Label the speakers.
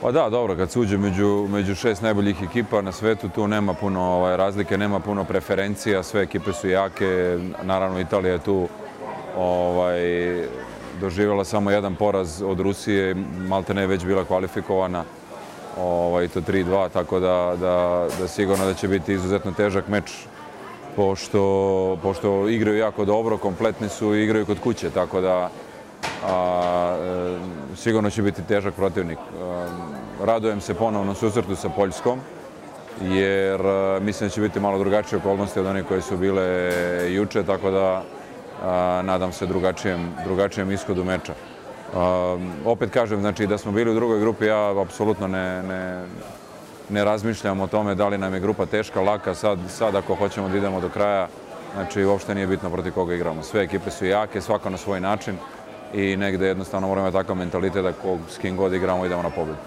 Speaker 1: Pa da, dobro, kad se uđe među 6 najboljih ekipa na svetu, tu nema puno razlike, nema puno preferencija, sve ekipe su jake, naravno Italija je tu doživjela samo jedan poraz od Rusije, maltene je već bila kvalifikovana, i to 3-2, tako da sigurno da će biti izuzetno težak meč, pošto igraju jako dobro, kompletni su i igraju kod kuće, tako da sigurno će biti težak protivnik. Radujem se ponovno susretu sa Poljskom, jer mislim da će biti malo drugačije okolnosti od onih koje su bile juče, tako da nadam se drugačijem ishodu meča. Opet kažem, znači da smo bili u drugoj grupi, ja apsolutno ne razmišljam o tome da li nam je grupa teška, laka, sad ako hoćemo da idemo do kraja, znači uopšte nije bitno protiv koga igramo. Sve ekipe su jake, svako na svoj način i negde jednostavno moramo imati takav mentalitet da s kim god igramo idemo na pobedu.